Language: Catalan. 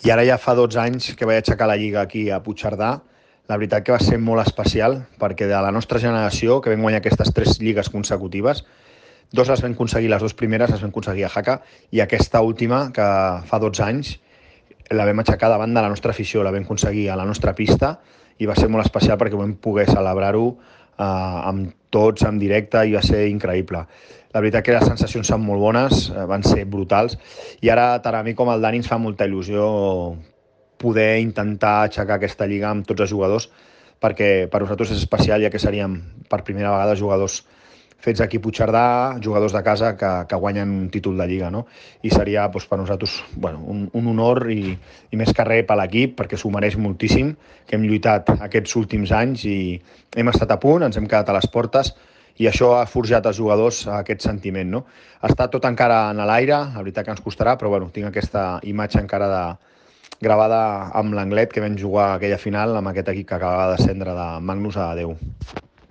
I ara ja fa 12 anys que vaig aixecar la Lliga aquí a Puigcerdà. La veritat que va ser molt especial, perquè de la nostra generació, que vam guanyar aquestes 3 lligues consecutives, 2 les vam aconseguir, les 2 primeres les vam aconseguir a Jaca, i aquesta última, que fa 12 anys, la vam aixecar davant de la nostra afició, la vam aconseguir a la nostra pista, i va ser molt especial perquè vam poder celebrar-ho amb tots, en directe, i va ser increïble. La veritat que les sensacions són molt bones, van ser brutals, i ara tant a mi com al Dani ens fa molta il·lusió poder intentar aixecar aquesta lliga amb tots els jugadors, perquè per nosaltres és especial, ja que seríem per primera vegada jugadors fets aquí a Puigcerdà, jugadors de casa que guanyen un títol de Lliga, no? I seria doncs, per nosaltres un honor i més que res per l'equip, perquè s'ho mereix moltíssim, que hem lluitat aquests últims anys i hem estat a punt, ens hem quedat a les portes, i això ha forjat als jugadors aquest sentiment, no? Està tot encara en l'aire, la veritat que ens costarà, però tinc aquesta imatge encara gravada amb l'Anglet, que vam jugar aquella final amb aquest equip que acabava de descendre de Magnus a Déu.